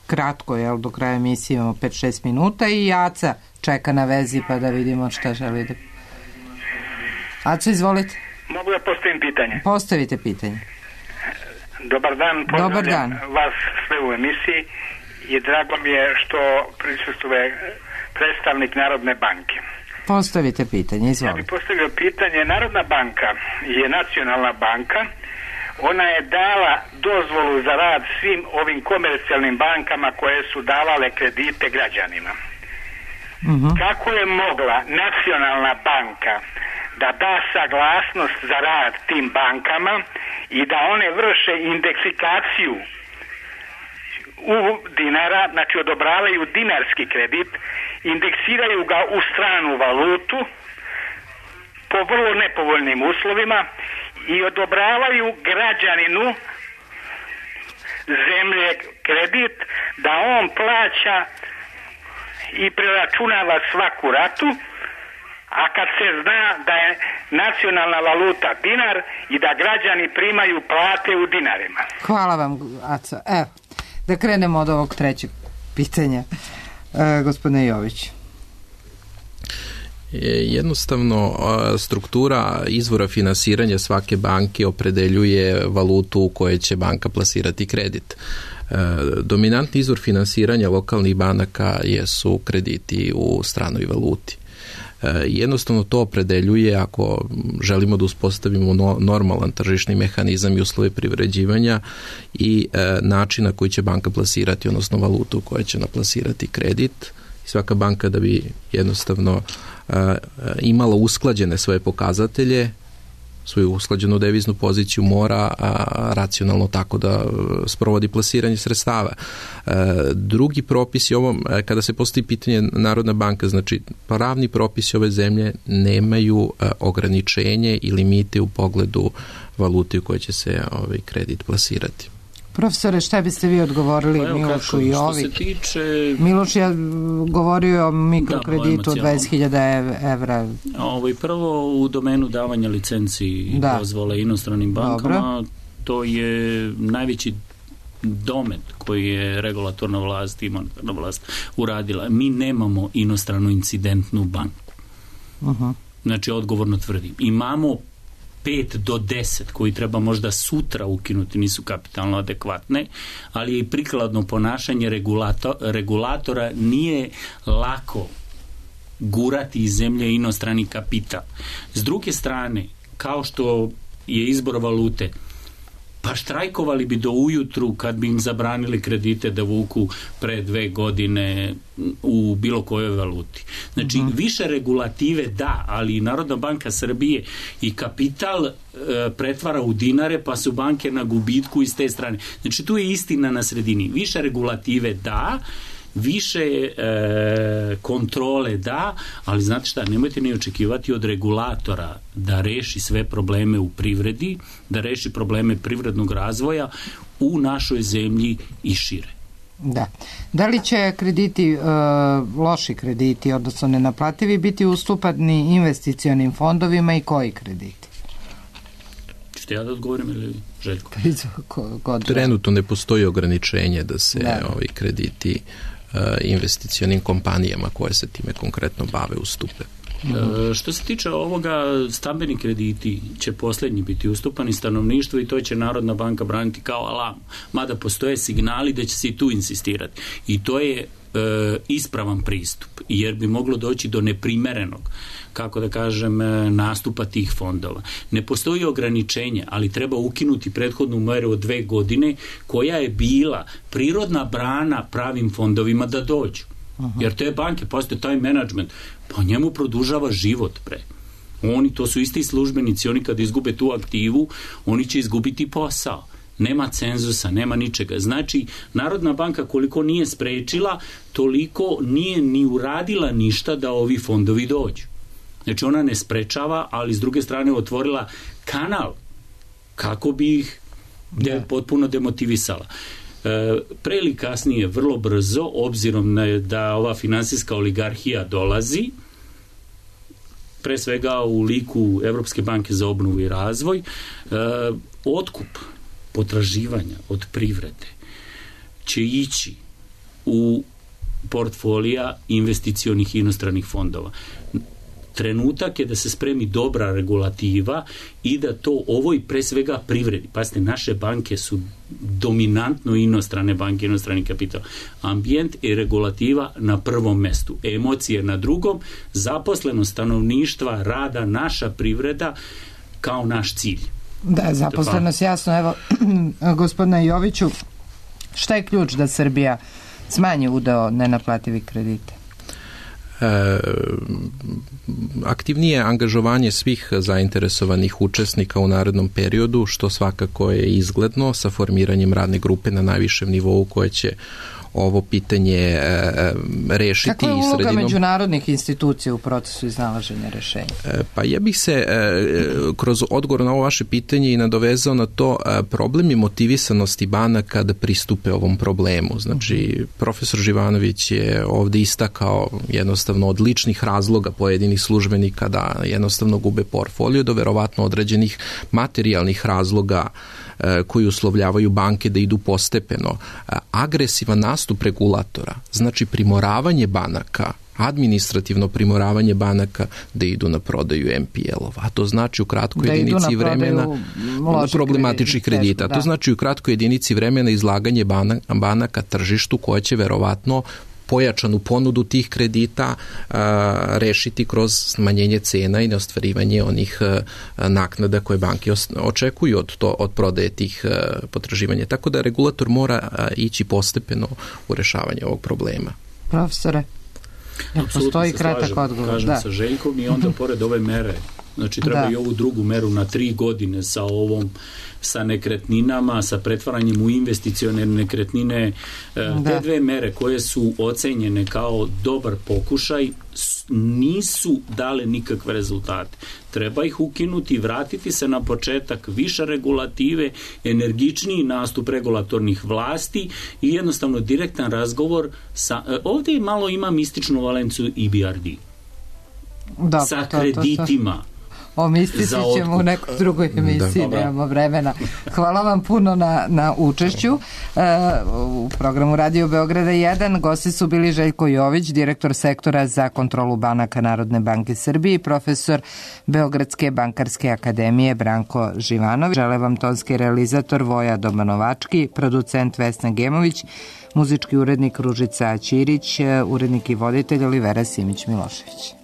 kratko, do kraja emisije imamo 5-6 minuta i Aca čeka na vezi pa da vidimo šta želi da... Aca, izvolite. Mogu da postavim pitanje? Postavite pitanje. Dobar dan, pozdravljam vas sve u emisiji i drago mi je što prisustvuje predstavnik Narodne banke. Postavite pitanje, izvolite. Ja bih postavio pitanje. Narodna banka je nacionalna banka. Ona je dala dozvolu za rad svim ovim komercijalnim bankama koje su davale kredite građanima. Kako je mogla nacionalna banka da da saglasnost za rad tim bankama i da one vrše indeksifikaciju u dinara, znači odobravaju dinarski kredit, indeksiraju ga u stranu valutu po vrlo nepovoljnim uslovima i odobravaju građaninu zemlje kredit da on plaća i preračunava svaku ratu, a kad se zna da je nacionalna valuta dinar i da građani primaju plate u dinarima. Hvala vam, Aca. Evo, da krenemo od ovog trećeg pitanja. Gospodine Jović. Jednostavno, struktura izvora finansiranja svake banke opredeljuje valutu u kojoj će banka plasirati kredit. Dominantni izvor finansiranja lokalnih banaka jesu krediti u stranoj valuti. Jednostavno to opredeljuje, ako želimo da uspostavimo normalan tržišni mehanizam i uslove privređivanja i način na koji će banka plasirati, odnosno valutu u kojoj će naplasirati kredit. Svaka banka da bi jednostavno imala usklađene svoje pokazatelje, svoju usklađenu deviznu poziciju mora racionalno tako da sprovodi plasiranje sredstava. Drugi propisi, kada se postavi pitanje Narodna banka, znači pravni propisi ove zemlje nemaju ograničenje i limite u pogledu valute u kojoj će se ovaj kredit plasirati. Profesore, šta biste vi odgovorili Milošu i Ovi? Miloš je govorio o mikrokreditu od 20.000 evra. Prvo u domenu davanja licenci i dozvole inostranim bankama, to je najveći domet koji je regulatorna vlast i monetarna vlast uradila. Mi nemamo inostranu incidentnu banku. Znači, odgovorno tvrdim. Imamo 5 do 10 koji treba možda sutra ukinuti nisu kapitalno adekvatne, ali i prikladno ponašanje regulatora nije lako gurati iz zemlje inostrani kapital. S druge strane, kao što je izbor valute, pa štrajkovali bi do ujutru kad bi im zabranili kredite da vuku pre 2 godine u bilo kojoj valuti. Znači, više regulative da, ali Narodna banka Srbije i kapital pretvara u dinare, pa su banke na gubitku iz te strane. Znači, tu je istina na sredini. Više regulative da, više kontrole da, ali znate šta, nemojte ni očekivati od regulatora da reši sve probleme u privredi, da reši probleme privrednog razvoja u našoj zemlji i šire. Da. Da li će krediti, loši krediti, odnosno nenaplativi, biti ustupani investicionim fondovima i koji krediti? Ćete ja da odgovorim ili Željko? Trenutno ne postoji ograničenje da se ovi krediti investicionim kompanijama koje se time konkretno bave ustupe. Što se tiče ovoga, stambeni krediti će posljednji biti ustupani stanovništvu i to će Narodna banka braniti kao alarm. Mada postoje signali da će se i tu insistirati. I to je ispravan pristup, jer bi moglo doći do neprimerenog, kako da kažem, nastupa tih fondova. Ne postoji ograničenje, ali treba ukinuti prethodnu meru od 2 godine koja je bila prirodna brana pravim fondovima da dođu. Jer te banke, postoje taj menadžment, pa njemu produžava život pre. To su isti službenici, oni kad izgube tu aktivu, oni će izgubiti posao. Nema cenzusa, nema ničega. Znači, Narodna banka koliko nije sprečila, toliko nije ni uradila ništa da ovi fondovi dođu. Znači, ona ne sprečava, ali s druge strane otvorila kanal kako bi ih potpuno demotivisala. Pre ili kasnije, vrlo brzo, obzirom da ova finansijska oligarhija dolazi, pre svega u liku Evropske banke za obnovu i razvoj, otkup potraživanja od privrede će ići u portfolija investicionih inostranih fondova. Trenutak je da se spremi dobra regulativa i da to ovoj pre svega privredi. Pazite, naše banke su dominantno inostrane banke, inostrani kapital. Ambijent i regulativa na prvom mestu, emocije na drugom, zaposlenost stanovništva, rada, naša privreda kao naš cilj. Da, zaposlenost, jasno. Evo, gospodine Joviću, šta je ključ da Srbija smanji udeo nenaplativih kredita? Aktivnije angažovanje svih zainteresovanih učesnika u narednom periodu, što svakako je izgledno sa formiranjem radne grupe na najvišem nivou koje će ovo pitanje rešiti. Kako je uloga međunarodnih institucija u procesu iznalaženja rešenja? Pa ja bih se kroz odgovor na ovo vaše pitanje i nadovezao na to problem i motivisanosti banaka da pristupe ovom problemu. Znači, profesor Živanović je ovde istakao jednostavno od ličnih razloga pojedinih službenika da jednostavno gube portfolio do verovatno određenih materijalnih razloga koji uslovljavaju banke da idu postepeno. Agresivan nastup regulatora, znači primoravanje banaka, administrativno primoravanje banaka da idu na prodaju NPL-ova. A to znači u kratkoj jedinici vremena problematičnih kredita. To znači u kratkoj jedinici vremena izlaganje banaka tržištu koja će verovatno pojačanu ponudu tih kredita rešiti kroz smanjenje cena i neostvarivanje onih naknada koje banke očekuju od prodaje tih potraživanja. Tako da regulator mora ići postepeno u rešavanje ovog problema. Profesore, postoji kratak odgovor. Kažem sa Željkom i onda pored ove mere, znači treba i ovu drugu meru na 3 godine sa nekretninama, sa pretvaranjem u investicione nekretnine. Te 2 mere koje su ocenjene kao dobar pokušaj nisu dale nikakve rezultate. Treba ih ukinuti, vratiti se na početak, više regulative, energičniji nastup regulatornih vlasti i jednostavno direktan razgovor ovdje malo ima mističnu valenciju EBRD. Sa kreditima. O mistici ćemo u nekoj drugoj emisiji, nemamo vremena. Hvala vam puno na učešću u programu Radio Beograda 1. Gosti su bili Željko Jović, direktor sektora za kontrolu banaka Narodne banke Srbije i profesor Beogradske bankarske akademije Branko Živanović. Žele vam tonski realizator Voja Domanovački, producent Vesna Gemović, muzički urednik Ružica Ćirić, urednik i voditelj Olivera Simić-Milošević.